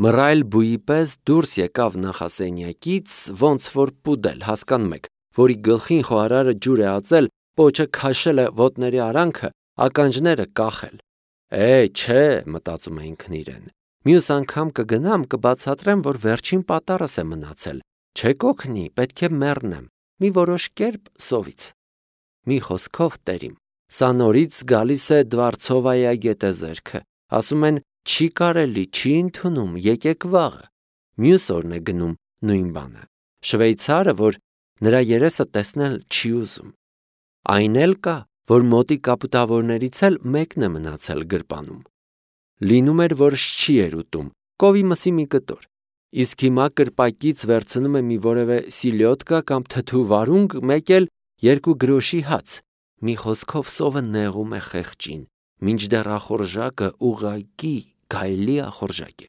Մռայլ բույի պես դուրս եկավ նախասենյակից, ոնց որ պուդել, հասկանում եք, որի գլխին խոհարարը ջուր է ածել, պոչը քաշել է ոտների արանքը, ականջները կախել։ Չէ, մտածում է ինքն իրեն։ Մյուս անգամ կգնամ, կբացատրեմ, որ վերջին պատառս է մնացել։ Չեք օգնի, պետք է մեռնեմ։ Մի որոշ կերպ սովից։ Մի խոսքով տերիմ։ Սա նորից գալիս է Դվարցովայա գետեզերքը։ Ասում են, չի կարելի, չի ընդունում, եկեք վաղը։ Մյուս օրն է գնում նույն բանը։ Շվեյցարը, որ նրա երեսը տեսնել չի ուզում։ Այն էլ կա, որ մոտի կապուտավորներից էլ մեկն է մնացել գրպանում։ Լինում էր, որ շչի էր ուտում, կովի մսի մի կտոր։ Իսկ հիմա կրպակից վերցնում է մի որևէ սիլյոտկա կամ թթու վարունգ, մեկ էլ 2 գրոշի հաց։ Մի խոսքով սովը նեղում է խեղճին, մինչդեռ ախորժակը ուղղակի գայլի ախորժակ է։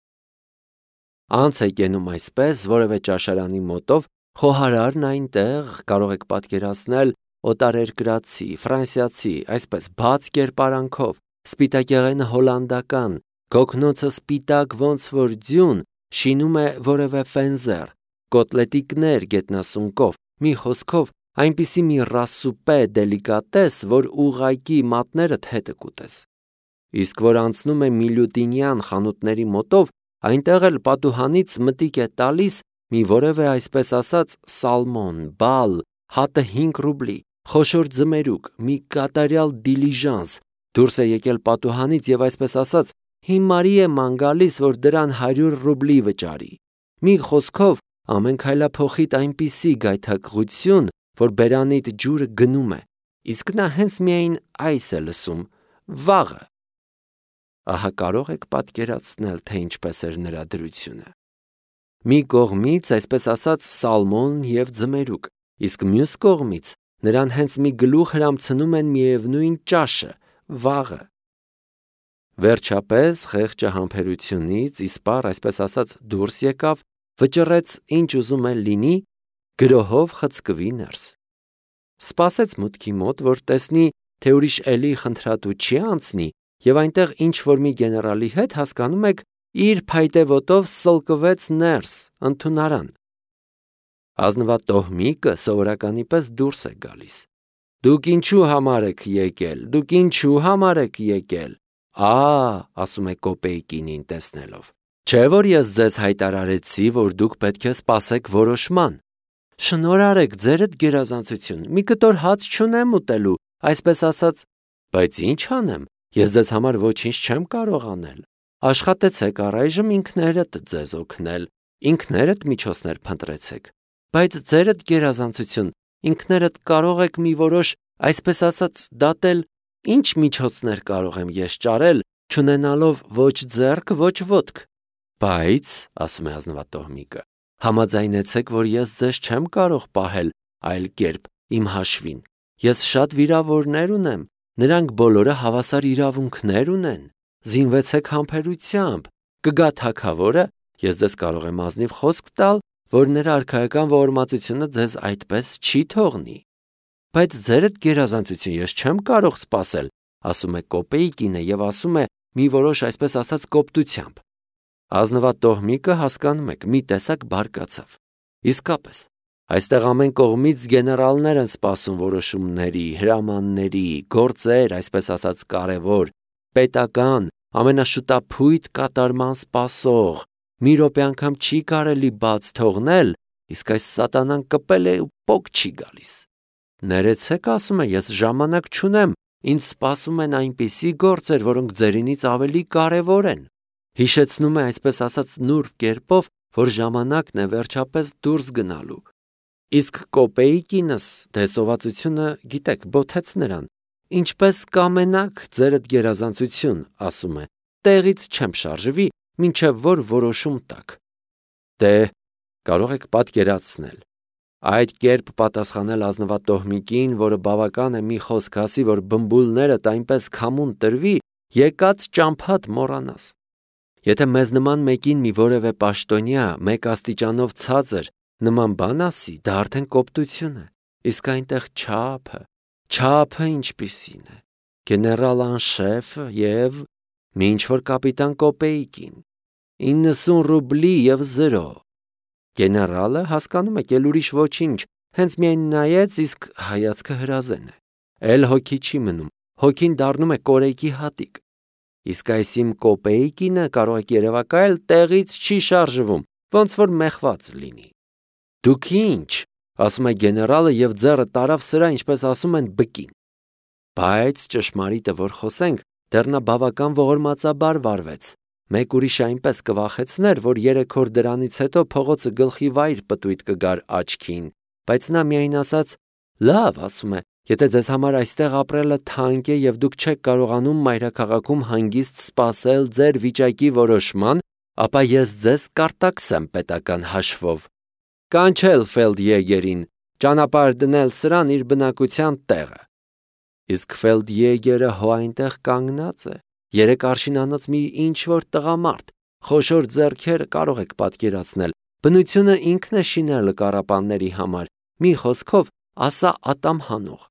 Անց է կենում այսպես որևէ ճաշարանի մոտով, խոհարարն այնտեղ, կարող եք պատկերացնել, օտարերկրացի, ֆրանսիացի, այսպես բաց կերպարանքով, սպիտակեղենը հոլանդական, գոգնոցը սպիտակ ոնց որ ձյուն, շինում է որևէ ֆենզեր, կոտլետիկներ գետնասունկով, մի խոսքով այնպիսի մի ռասուպե դելիկատես, որ ուղղակի մատներդ հետը կուտես։ Իսկ որ անցնում է միլյուտինյան խանութների մոտով, այնտեղ էլ պատուհանից մտիկ է տալիս մի որևէ այսպես ասած սալմոն, բալ, հատը 5 ռուբլի, խոշոր ձմերուկ, մի կատարյալ դիլիժանս, դուրս է եկել պատուհանից եւ այսպես ասած հիմարի է ման գալիս, որ դրան 100 ռուբլի վճարի։ Մի խոսքով ամեն քայլափոխիտ այնպիսի գայթակղություն, որ բերանիդ ջուրը գնում է, իսկ նա հենց միայն այս է լսում՝ վաղը։ Ահա կարող եք պատկերացնել, թե ինչպես էր նրա դրությունը։ Մի կողմից, այսպես ասած, սալմոն եւ ձմերուկ, իսկ մյուս կողմից նրան հենց մի գլուխ հրամցնում են միևնույն ճաշը՝ վաղը։ Վերջապես խեղճը համբերությունից իսպառ, այսպես ասած, դուրս եկավ, վճռեց ինչ ուզում է լինի, գրոհով խցկվի ներս։ Սպասեց մուտքի մոտ, որ տեսնի, թե ուրիշ էլի խնդրատու չի անցնի, եւ այնտեղ ինչ որ մի գեներալի հետ, հասկանում եք, իր փայտե ոտով սլկվեց ներս, ընդունարան։ Ազնվատոհմիկը սովորականի պես դուրս է գալիս։ Դուք ինչու համար եք եկել, դուք ինչու համար եք եկել։ Ասում է կոպեյկինին տեսնելով։ Չէ՞ որ ես ձեզ հայտարարեցի, որ դուք պետք է սպասեք որոշման։ Շնորհարեք ձերդ գերազանցություն, մի կտոր հաց չունեմ ուտելու, այսպես ասած, բայց ինչ անեմ, ես ձեզ համար ոչինչ չեմ կարող անել։ Աշխատեցեք առայժմ ինքներդ ձեզ օգնել, ինքներդ միջոցներ փնտրեցեք, բայց ձերդ գերազանցություն, ինքներդ կարող եք մի որոշ, այսպես ասած, դատել, ինչ միջոցներ կարող եմ ես ճարել, չունենալով ոչ ձեռք, ոչ ոտք։ Բայց, ասում է ազնվատոհմիկը, համաձայնեցեք, որ ես ձեզ չեմ կարող պահել այլ կերպ իմ հաշվին։ Ես շատ վիրավորներ ունեմ, նրանք բոլորը հավասար իրավունքներ ունեն։ Զինվեցեք համբերությամբ, կգա թագավորը, ես ձեզ կարող եմ ազնիվ խոսք տալ, որ նրա արքայական ողորմածությունը ձեզ այդպես չի թողնի։ Բայց ձերդ գերազանցություն ես չեմ կարող սպասել, ասում է կոպեյկինը եւ ասում է մի որոշ այսպես ասած կոպտությամբ։ Ազնվատոհմիկը, հասկանում եք, մի տեսակ բարկացավ։ Իսկապես, այստեղ ամեն կողմից գեներալներ են սպասում որոշումների, հրամանների, գործեր, այսպես ասած կարևոր, պետական, ամենաշուտափույթ կատարման սպասող, մի րոպե անգամ չի կարելի բաց թողնել, իսկ այս սատանան կպել է ու պոկ չի գալիս։ Ներեցեք, ասում է, ես ժամանակ չունեմ, ինձ սպասում են այնպիսի գործեր, որոնք ձերինից ավելի կարևոր են։ Հիշեցնում է այսպես ասած նուրբ կերպով, որ ժամանակն է վերջապես դուրս գնալու։ Իսկ կոպեյկինս դեսովածությունը, գիտեք, բոթեց նրան։ Ինչպես կամենաք ձերդ գերազանցություն, ասում է, տեղից չեմ շարժվի, մինչև որ որոշում տաք։ Դե, կարող եք պատկերացնել։ Այդ կերպ պատասխանել ազնվատոհմիկին, որը բավական է մի խոսք ասի, որ բմբուլներդ այնպես քամուն տրվի, եկած ճամփատ մոռանաս։ Եթե մեզ նման մեկին մի որևէ պաշտոնյա, մեկ աստիճանով ցածր, նման բան ասի, դա արդեն կոպտություն է, իսկ այնտեղ չափը ինչպիսին է, գեներալ անշեֆը և մի ինչ-որ կապիտան կոպեյկին։ 90 ռուբլի եւ 0։ Գեներալը հասկանում եք, էլ ուրիշ ոչինչ, հենց միայն նայեց, իսկ հայացքը հրազեն է։ Էլ հոգի չի մնում, հոգին դառնում է կորեկի հատիկ։ Իսկ այս իմ կոպեիկինը կարող եք երևակայել տեղից չի շարժվում, ոնց որ մեղված լինի։ Դուք ինչ, ասում է գեներալը եւ ձեռը տարավ սրա, ինչպես ասում են, բկին։ Բայց ճշմարիտը որ խոսենք, դեռ նա բավական ողորմածաբար վարվեց։ Մեկ ուրիշ այնպես կվախեցներ, որ 3 օր դրանից հետո փողոցը գլխի վայր պտույտ կգար աչքին, բայց նա միայն ասաց. «Լավ, ասում է, եթե ձեզ համար այստեղ ապրելը թանկ է եւ դուք չեք կարողանում մայրաքաղաքում հանգիստ սպասել ձեր վիճակի որոշման, ապա ես ձեզ կարտաքսեմ պետական հաշվով։ Կանչել ֆելդյեգերին, ճանապարհ դնել սրան իր բնակության տեղը»։ Իսկ ֆելդյեգերը հո այնտեղ կանգնած է, 3 արշինանոց մի ինչ-որ տղամարդ, խոշոր ձեռքերը կարող եք պատկերացնել, բնությունը ինքն է շինել կառապանների համար, մի խոսքով ասա ատամ հանող։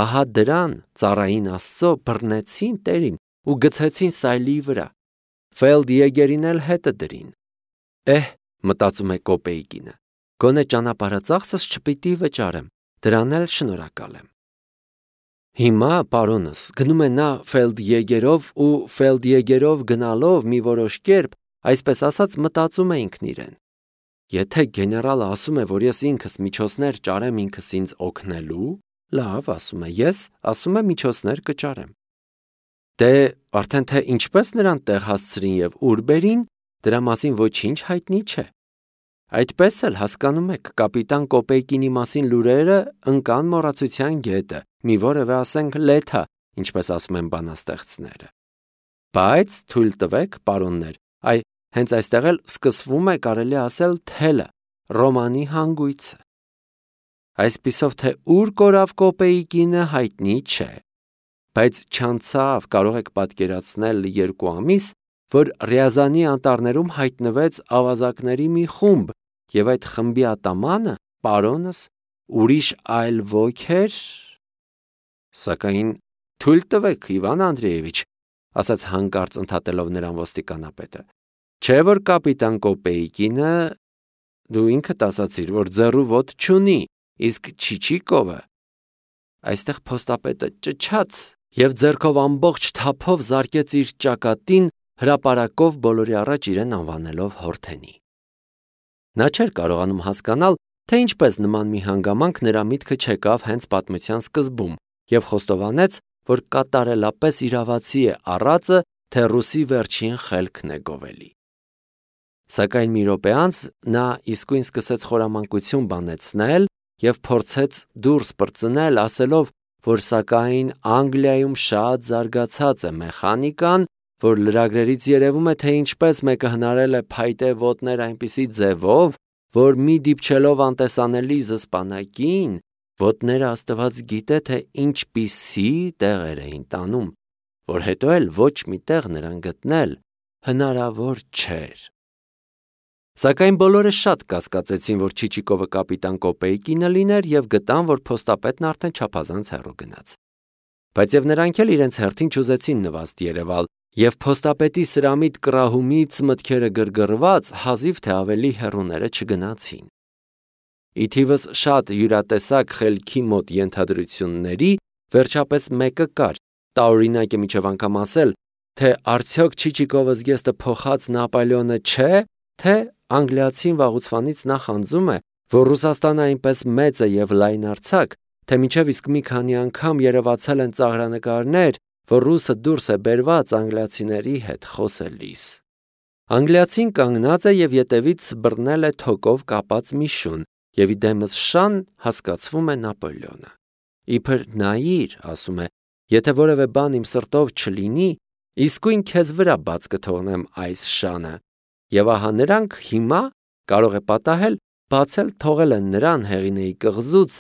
Ահա դրան ծառային աստծո բռնեցին տերին ու գցեցին սայլի վրա։ Ֆելդյեգերին էլ հետը դրին։ Մտածում է կոպեիկինը, գոնե ճանապարհածախսս չպիտի վճարեմ, դրան էլ շնորհակալ եմ։ Հիմա պարոնս գնում է նա ֆելդյեգերով ու ֆելդյեգերով գնալով մի որոշ կերպ, այսպես ասած, մտածում է ինքն իրեն. Եթե գեներալը ասում է, որ ես ինքս միջոցներ ճարեմ ինքս ինձ օգնելու, լավ, ասում է, ես ասում է միջոցներ կճարեմ։ Դե արդեն թե ինչպես նրան տեղ հասցրին եւ ուր բերին, դրա մասին ոչինչ հայտնի չէ։ Այդպես էլ հասկանում եք, կապիտան Կոպեյկինի մասին լուրերը ընկան մոռացության գետը, մի որևէ ասենք լեթա, ինչպես ասում են բանաստեղծները։ Բայց թույլ տվեք, պարոններ, հենց այստեղ էլ սկսվում է կարելի ասել թելը, ռոմանի հանգույցը։ Այսպիսով թե ուր կորավ Կոպեյկինը հայտնի չէ, բայց չանցավ կարող եք պատկերացնել 2 ամիս, որ Ռիազանի անտառներում հայտնվեց ավազակների մի խումբ, եւ այդ խմբի ատամանը, պարոնս, ուրիշ այլ ոք էր։ Սակայն թույլ տվեք, Իվան Անդրեևիչ, ասաց հանկարծ ընդհատելով նրան ոստիկանապետը, չէ որ կապիտան Կոպեյկինը, դու ինքդ ասացիր, որ ձեռու ոտ չունի, իսկ Չիչիկովը։ Այստեղ փոստապետը ճչաց եւ ձեռքով ամբողջ թափով զարկեց իր ճակատին, հրապարակով բոլորի առաջ իրեն անվանելով հորթենի։ Նա չէր կարողանում հասկանալ, թե ինչպես նման մի հանգամանք նրա միտքը չեկավ հենց պատմության սկզբում եւ խոստովանեց, որ կատարելապես իրավացի է առածը, թե ռուսի վերջին խելքն է գովելի։ Սակայն մի րոպե անց նա իսկույն սկսեց խորամանկություն բանեցնել եւ փորձեց դուրս պրծնել, ասելով, որ սակայն Անգլիայում շատ զարգացած է մեխանիկան, որ լրագրերից երևում է, թե ինչպես մեկը հնարել է փայտե ոտներ այնպիսի ձևով, որ մի դիպչելով անտեսանելի զսպանակին, ոտները աստված գիտե, թե ինչպիսի տեղեր էին տանում, որ հետո էլ ոչ մի տեղ նրան գտնել հնարավոր չէր։ Սակայն բոլորը շատ կասկածեցին, որ Չիչիկովը կապիտան Կոպեյկինը լիներ եւ գտան, որ փոստապետն արդեն չափազանց հեռու գնաց։ Բայց եւ նրանք էլ իրենց հերթին չուզեցին նվաստ երևալ եւ փոստապետի սրամիտ կռահումից մտքերը գրգռված հազիվ թե ավելի հեռուները չգնացին։ Ի թիվս շատ յուրատեսակ խելքի մոտ ենթադրությունների վերջապես մեկը կար, տարօրինակ է միջև անգամ ասել, թե արդյոք Չիչիկովը զգեստը փոխած Նապոլեոնը չէ, թե անգլիացին վաղուցվանից նախանձում է, որ Ռուսաստանը այնպես մեծ է եւ լայնարձակ, թե մինչև իսկ մի քանի անգամ երևացել են ծաղրանկարներ, որ ռուսը դուրս է բերված անգլիացիների հետ խոսելիս։ Անգլիացին կանգնած է եւ ետևից բռնել է թոկով կապած մի շուն, եւ իդեմս շան հասկացվում է Նապոլեոնը։ Իբր նայիր, ասում է, եթե որևէ բան իմ սրտով չլինի, իսկույն քեզ վրա բաց կթողնեմ այս շանը։ Եվ ահա նրանք հիմա կարող է պատահել բացել թողել են նրան Հեղինեի կղզուց,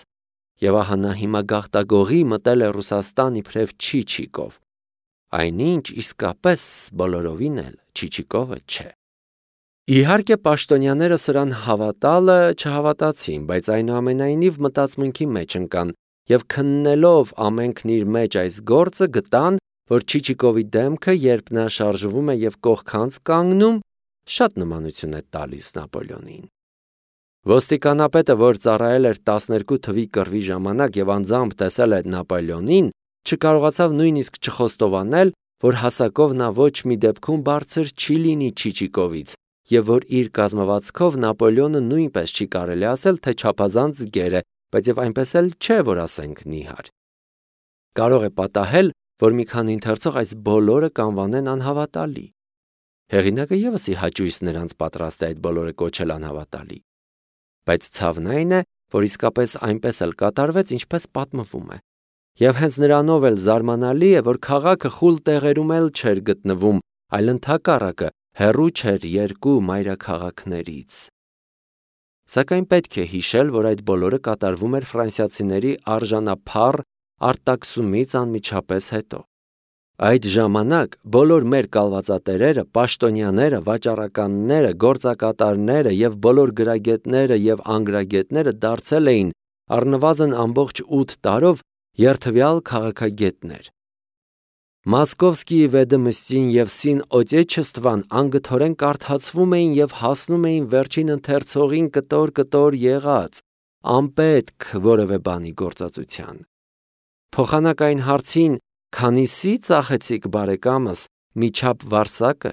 եւ ահա նա հիմա գաղտագողի մտել է Ռուսաստան իբրև Չիչիկով։ Այնինչ իսկապես բոլորովին էլ Չիչիկովը չէ։ Իհարկե պաշտոնյաները սրան հավատալը չհավատացին, բայց այնուամենայնիվ մտածմունքի մեջ ընկան եւ քննելով ամենքն իր մեջ այս գործը գտան, որ Չիչիկովի դեմքը, երբ նա շարժվում է եւ կողքանց կանգնում, շատ նմանություն է տալիս Նապոլեոնին։ Ոստիկանապետը, որ ծառայել էր 12 թվի կռվի ժամանակ եւ անձամբ տեսել է Նապոլեոնին, չկարողացավ նույնիսկ չխոստովանել, որ հասակով նա ոչ մի դեպքում բարձր չի լինի Չիչիկովից, եւ որ իր կազմվածքով Նապոլեոնը նույնպես չի կարելի ասել, թե չափազանց գեր է, բայց եւ այնպես էլ չէ, որ ասենք նիհար։ Կարող է պատահել, որ մի քանի ընթերցող այս բոլորը կանվանեն անհավատալի։ Հեղինակը եւս ի հաճույս նրանց պատրաստ է այդ բոլորը կոչել անհավատալի։ Բայց ցավն այն է, որ իսկապես այնպես էլ կատարվեց, ինչպես պատմվում է։ Եվ հենց նրանով էլ զարմանալի է, որ քաղաքը խուլ տեղերում էլ չէր գտնվում, այլ ընդհակառակը հեռու չէր երկու մայրաքաղաքներից։ Սակայն պետք է հիշել, որ այդ բոլորը կատարվում էր ֆրանսիացիների արժանափառ արտաքսումից անմիջապես հետո։ Այդ ժամանակ բոլոր մեր կալվածատերերը, պաշտոնյաները, վաճառականները, գործակատարները եւ բոլոր գրագետները եւ անգրագետները դարձել էին առնվազն ամբողջ 8 տարով երթվյալ քաղաքագետներ։ Մոսկովսկիի Վեդոմստին եւ Սին Օտեչեստվան անգթորեն կարդացվում էին եւ հասնում էին վերջին ընթերցողին կտոր եղած, անպետք որևէ բանի գործածության։ Փոխանակ այն հարցին, քանիսի ծախեցիք բարեկամս միջապ վարսակը,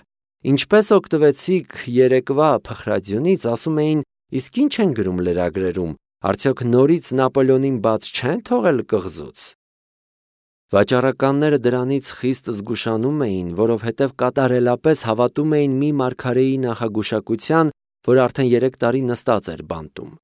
ինչպես օգտվեցիք երեկվա փխրադյունից, ասում էին, իսկ ինչ են գրում լրագրերում, արդյոք նորից Նապոլեոնին բաց չեն թողել կղզուց։ Վաճառականները դրանից խիստ զգուշանում էին, որովհետև կատարելապես հավատում էին մի մարգարեի նախագուշակության, որ արդեն 3 տարի նստած էր բանտում։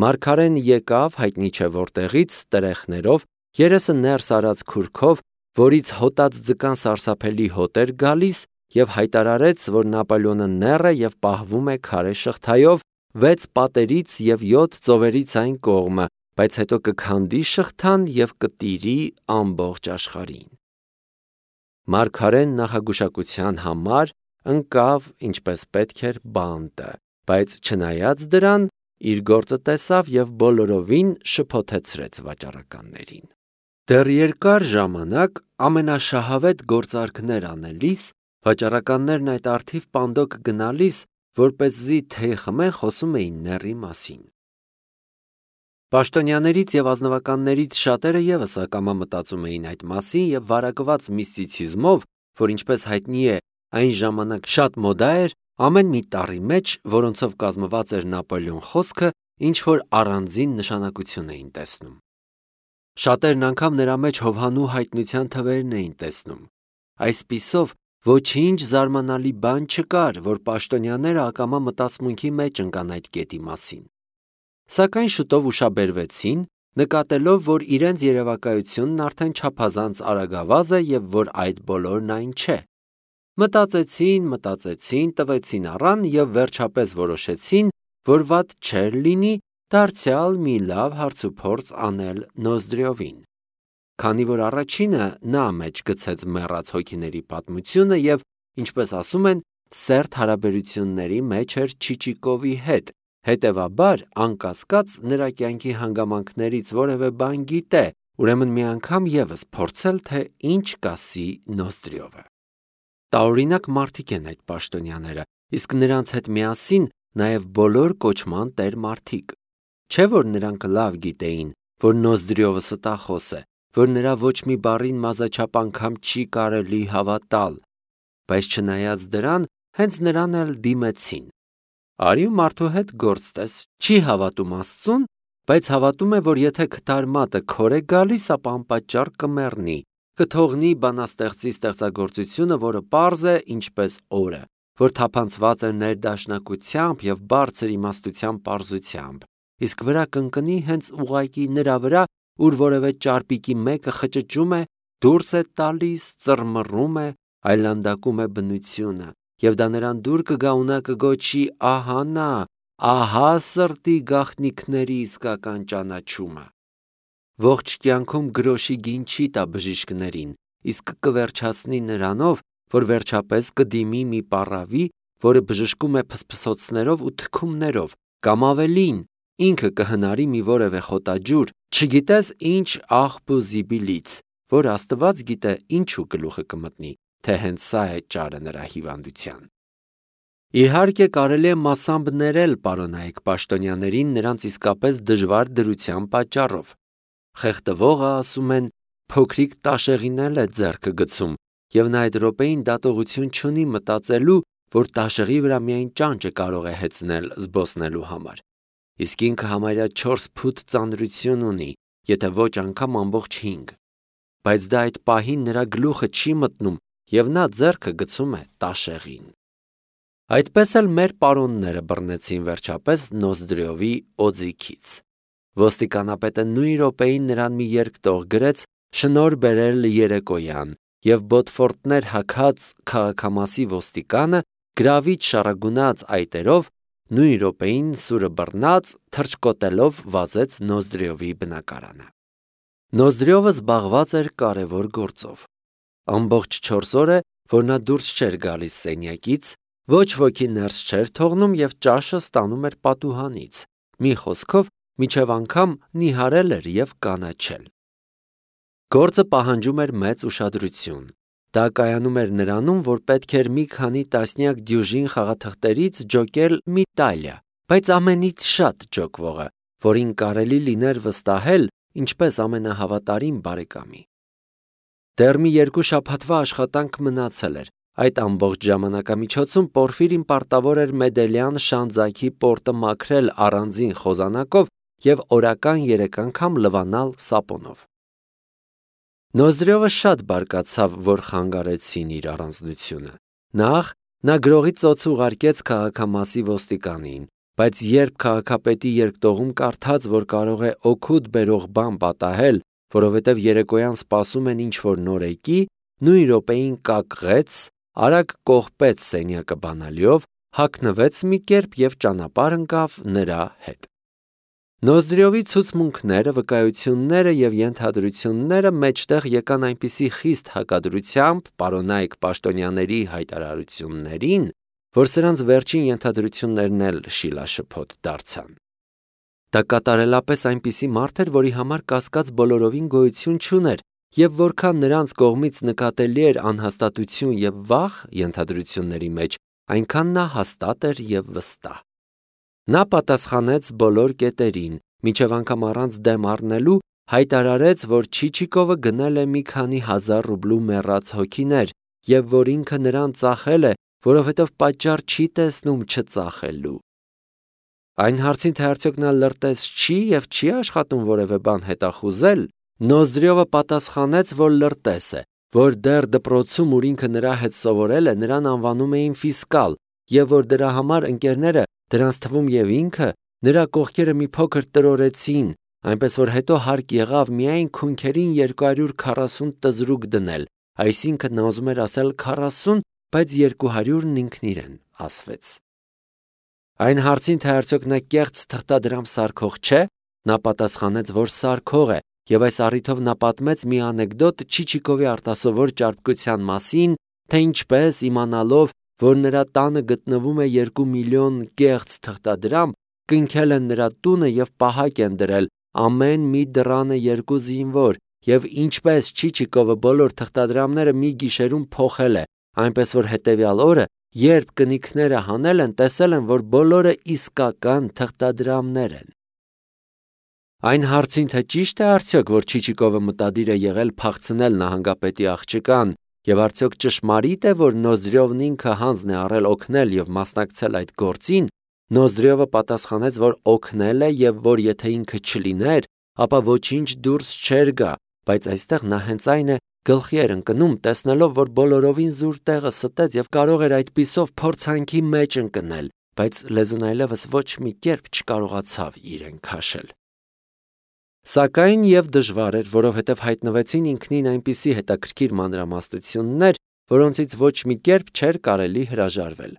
Մարգարեն եկավ հայտնի չէ որտեղից տրեխներով, երեսը ներս արած քուրքով, որից հոտած ձկան սարսափելի հոտ էր գալիս եւ հայտարարեց, որ Նապոլեոնը նեռ է եւ պահվում է քարե շղթայով 6 պատերից եւ 7 ծովերից այն կողմը, բայց հետո կքանդի շղթան եւ կտիրի ամբողջ աշխարհին։ Մարգարեն նախագուշակության համար ընկավ ինչպես պետք էր բանտը, բայց չնայած դրան իր գործը տեսավ եւ բոլորովին շփոթեցրեց վաճառականներին։ Դեռ երկար ժամանակ ամենաշահավետ գործարքներ անելիս վաճառականներն այդ արդիվ պանդոկ գնալիս, որպեսզի թեյ խմեն, խոսում էին նեռի մասին։ Պաշտոնյաներից եւ ազնվականներից շատերը եւս ակամա մտածում էին այդ մասին եւ վարակված միստիցիզմով, որ ինչպես հայտնի է, այն ժամանակ շատ մոդա էր, ամեն մի տառի մեջ, որոնցով կազմված էր Նապոլեոն խոսքը, ինչ որ առանձին նշանակություն էին տեսնում։ Շատերն անգամ նրա մեջ Հովհաննու հայտնության թվերն էին տեսնում։ Այսպիսով ոչինչ զարմանալի բան չկար, որ պաշտոնյաները ակամա մտածմունքի մեջ ընկան այդ կետի մասին։ Սակայն շուտով ուշաբերվեցին, նկատելով, որ իրենց երևակայությունն արդեն չափազանց արագավազ է եւ որ այդ բոլորն այն չէ։ Մտածեցին, տվեցին առան եւ վերջապես որոշեցին, որ վատ չէր լինի դարձյալ մի լավ հարցուփորձ անել Նոզդրյովին։ Քանի որ առաջինը նա մեջ գցեց մեռած հոգիների պատմությունը եւ, ինչպես ասում են, սերտ հարաբերությունների մեջ էր Չիչիկովի հետ, հետևաբար անկասկած նրա կյանքի հանգամանքներից որևէ բան գիտե, ուրեմն մի անգամ եւս փորձել, թե ինչ կասի Նոզդրյովը։ Տարօրինակ մարդիկ են այդ պաշտոնյաները, իսկ նրանց հետ միասին նաեւ բոլոր կոչման տեր մարդիկ։ Չէ՞ որ նրանք լավ գիտեին, որ Նոզդրյովը ստախոս է, որ նրա ոչ մի բառին մազաչափ անգամ չի կարելի հավատալ, բայց չնայած դրան, հենց նրան էլ դիմեցին։ Արի ու մարդու հետ գործ տես, չի հավատում Աստծուն, բայց հավատում է, որ եթե քթարմատը քոր է գալիս, ապա անպատճառ կմեռնի, կթողնի բանաստեղծի ստեղծագործությունը, որը պարզ է ինչպես օրը, որ թափանցված է ներդաշնակությամբ եւ բարձր իմաստության պարզությամբ, իսկ վրա կընկնի հենց ուղղակի նրա վրա, ուր որևէ ճարպիկի մեկը խճճում է, դուրս է տալիս, ծռմռում է, այլանդակում է բնությունը, եւ դա նրան դուր կգա ու նա կգոչի ահա նա, ահա սրտի գաղտնիքների իսկական ճանաչումը։ Ողջ կյանքում գրոշի գին չի տա բժիշկներին, իսկ կվերջացնի նրանով, որ վերջապես կդիմի մի պառավի, որը բժշկում է փսփսոցներով ու թքումներով, կամ ավելին, ինքը կհնարի մի որևէ խոտաջուր, չգիտես ինչ աղբ ու զիբիլից, որ Աստված գիտե ինչու գլուխը կմտնի, թե հենց սա է ճարը նրա հիվանդության։ Իհարկե կարելի է մասամբ ներել պարոնայք պաշտոնյաներին նրանց իսկապես դժվար դրության պատճառով։ Խեղդվողը, ասում են, փոքրիկ տաշեղին էլ է ձեռքը գցում, եւ նա այդ րոպեին դատողություն չունի մտածելու, որ տաշեղի վրա միայն ճանճը կարող է հեծնել զբոսնելու համար։ Իսկ ինքը համարյա 4 ֆուտ ծանրություն ունի, եթե ոչ անգամ ամբողջ 5։ Բայց դա այդ պահին նրա գլուխը չի մտնում, եւ նա ձեռքը գցում է տաշեղին։ Այդպես էլ մեր պարոնները բռնեցին վերջապես Նոզդրյովի օձիքից։ Ոստիկանապետը նույն րոպեին նրան մի երկտող գրեց շնորհ բերել երեկոյան, եւ բոտֆորտներ հագած քաղաքամասի ոստիկանը գրավիչ շարագունած այտերով նույն րոպեին սուրը բռնած թռչկոտելով վազեց Նոզդրյովի բնակարանը։ Նոզդրյովը զբաղված էր կարևոր գործով։ Ամբողջ 4 օր է, որ նա դուրս չէր գալիս սենյակից, ոչ ոքի ներս չէր թողնում եւ ճաշը ստանում էր պատուհանից։ Մի խոսքով, միջև անգամ նիհարել էր եւ կանաչել։ Գործը պահանջում էր մեծ ուշադրություն։ Դա կայանում էր նրանում, որ պետք էր մի քանի տասնյակ դյուժին խաղաթղթերից ջոկել մի տալիա, բայց ամենից շատ ջոկվողը, որին կարելի լիներ վստահել, ինչպես ամենահավատարիմ բարեկամի։ Դեռ մի 2 շաբաթվա աշխատանք մնացել էր։ Այդ ամբողջ ժամանակամիջոցում Պորֆիրին պարտավոր էր Մեդելյան շանձակի պորտը մաքրել առանձին խոզանակով եւ օրական 3 անգամ լվանալ սապոնով։ Նոզդրյովը շատ բարկացավ, որ խանգարեցին իր առանձնությունը։ Նախ նա գրողի ծոց ուղարկեց քաղաքամասի ոստիկանին, բայց երբ քաղաքապետի երկտողում կարդաց, որ կարող է օգուտ բերող բան պատահել, որովհետև երեկոյան սպասում են ինչ-որ նորեկի, նույն րոպեին կակղեց, արագ կողպեց սենյակը բանալիով, հագնվեց մի կերպ եւ ճանապարհ ընկավ նրա հետ։ Նոզդրյովի ցուցմունքները, վկայությունները եւ ենթադրությունները մեջտեղ եկան այնպիսի խիստ հակադրությամբ պարոնայք պաշտոնյաների հայտարարություններին, որ սրանց վերջին ենթադրություններն էլ շիլաշփոթ դարձան։ Դա կատարելապես այնպիսի մարդ էր, որի համար կասկած բոլորովին գոյություն չուներ, եւ որքան նրանց կողմից նկատելի էր անհաստատություն եւ վախ ենթադրությունների մեջ, այնքան նա հաստատ էր եւ վստահ։ Նա պատասխանեց բոլոր կետերին, մինչև անգամ առանց դեմ առնելու հայտարարեց, որ Չիչիկովը գնել է մի քանի հազար ռուբլու մեռած հոգիներ եւ որ ինքը նրան ծախել է, որովհետեւ պատճառ չի տեսնում չծախելու։ Այն հարցին, թե արդյոք նա լրտես չի եւ չի աշխատում որևէ բան հետախուզել, Նոզդրյովը պատասխանեց, որ լրտես է, որ դեռ դպրոցում, ուր ինքը նրա հետ սովորել է, նրան անվանում էին ֆիսկալ, եւ որ դրա համար ընկերները, դրանց թվում եւ ինքը, նրա կողքերը մի փոքր տրորեցին, այնպես որ հետո հարկ եղավ միայն քունքերին 240 տզրուկ դնել, այսինքն նա ուզում էր ասել 40, բայց 200-ն ինքն իրեն ասվեց։ Այն հարցին, թե արդյոք նա կեղծ թղթադրամ սարքող չէ, նա պատասխանեց, որ սարքող է, եւ այս առիթով նա պատմեց մի անեկդոտ Չիչիկովի արտասովոր ճարպկության մասին, թե ինչպես իմանալով, որ նրա տանը գտնվում է 2 միլիոն կեղծ թղթադրամ, կնքել են նրա տունը եւ պահակ են դրել ամեն մի դռանը 2 զինվոր, եւ ինչպես Չիչիկովը բոլոր թղթադրամները մի գիշերում փոխել է, այնպես որ հետեւյալ օրը, երբ կնիքները հանել են, տեսել են, որ բոլորը իսկական թղթադրամներ են։ Այն հարցին, թե ճիշտ է արդյոք, որ Չիչիկովը մտադիր է եղել փախցնել նահանգապետի աղջկան, եւ արդյոք ճշմարիտ է, որ Նոզդրյովն ինքը հանձն է առել օգնել եւ մասնակցել այդ գործին, Նոզդրյովը պատասխանեց, որ օգնել է եւ որ եթե ինքը չլիներ, ապա ոչինչ դուրս չէր գա, բայց այստեղ նա հենց այն է գլխի էր ընկնում, տեսնելով, որ բոլորովին զուր տեղը ստեց եւ կարող էր այդպիսով փորձանքի մեջ ընկնել, բայց լեզուն այլևս ոչ մի կերպ չկարողացավ իրեն քաշել։ Սակայն եւ դժվար էր, որովհետեւ հայտնվեցին ինքնին այնպիսի հետաքրքիր մանրամասնություններ, որոնցից ոչ մի կերպ չէր կարելի հրաժարվել։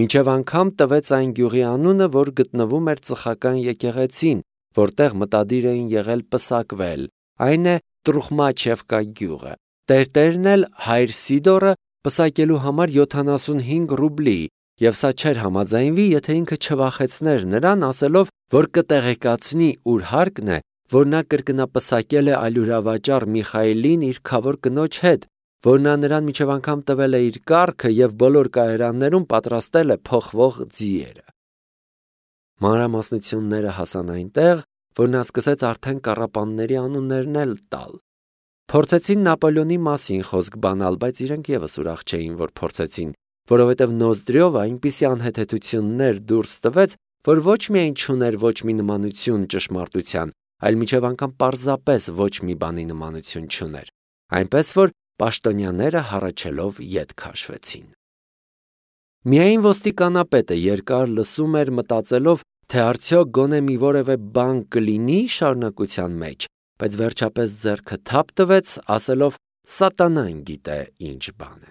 Մինչև անգամ տվեց այն գյուղի անունը, որ գտնվում էր ծխական եկեղեցին, որտեղ մտադիր էին եղել պսակվել, այն է Տրուխմաչևկա գյուղը։ Տերտերն էլ հայր Սիդորը պսակելու համար 75 ռուբլի, եւ սա չէր համաձայնվի, եթե ինքը չվախեցներ նրան, ասելով, որ կտեղեկացնի ուր հարկն է, որ նա կրկնապսակել է այլուրավաճառ Միխայելին իր քավոր կնոջ հետ, որ նա նրան մինչև անգամ տվել է իր կառքը և բոլոր կայարաններում պատրաստել է փոխվող ձիերը։ Մանրամասնությունները հասան այնտեղ, որ նա սկսեց արդեն կառապանների անուններն էլ տալ։ Փորձեցին Նապոլեոնի մասին խոսք բանալ, բայց իրենք ևս ուրախ չէին, որ փորձեցին, որովհետև Նոզդրյովը այնպիսի անհեթեթություններ դուրս տվեց, որ ոչ միայն չուներ ոչ մի նմանություն ճշմարտության, այլ մինչև անգամ պարզապես ոչ մի բանի նմանություն չուներ, այնպես որ պաշտոնյաները հառաչելով ետ քաշվեցին։ Միայն ոստիկանապետը երկար լսում էր, մտածելով, թե արդյոք գոնե մի որևէ բան կլինի շարունակության մեջ, բայց վերջապես ձեռքը թափ տվեց, ասելով. «Սատանան գիտե ինչ բան է»։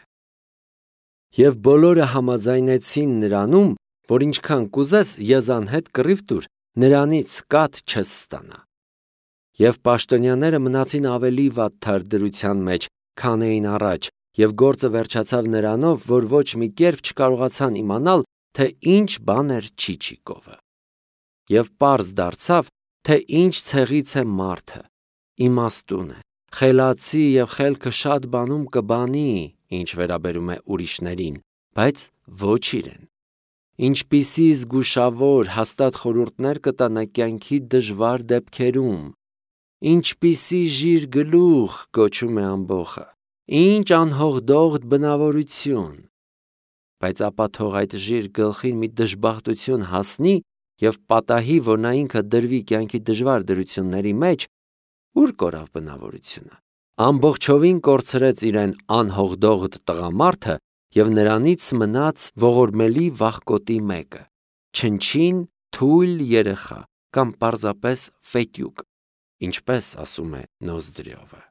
Եվ բոլորը համաձայնեցին նրանում, որ ինչքան կուզես եզանհետ կռիվ տուր, նրանից կաթ չես ստանա։ Եվ պաշտոնյաները մնացին ավելի վատ թարդրության մեջ, քան էին առաջ, և գործը վերջացավ նրանով, որ ոչ մի կերպ չկարողացան իմանալ, թե ինչ բան էր Չիչիկովը։ Եվ պարզ դարձավ, թե ինչ ցեղից է մարդը, իմաստուն է, խելացի և խելքը շատ բանում կբանի, ինչ վերաբերում է ուրիշներին, բայց ոչ իրեն։ Ինչպիսի զգուշավոր, հաստատ խորհուրդներ կտա նա կյանքի դժվար դեպքերում, ինչպիսի ժիր գլուխ կոչում է ամբոխը, ինչ անհողդողդ բնավորություն։ Բայց ապա թող այդ ժիր գլխին մի դժբախտություն հասնի և պատահի, որ նա ինքը դրվի կյանքի դժվար դրությունների մեջ, ուր կորավ բնավորությունը։ Ամբողջովին կորցրեց իրեն անհողդողդ տղամարդը և նրանից մնաց ողորմելի վախկոտի մեկը, չնչին թույլ երեխա կամ պարզապես ֆետյուկ, ինչպես ասում է Նոզդրյովը։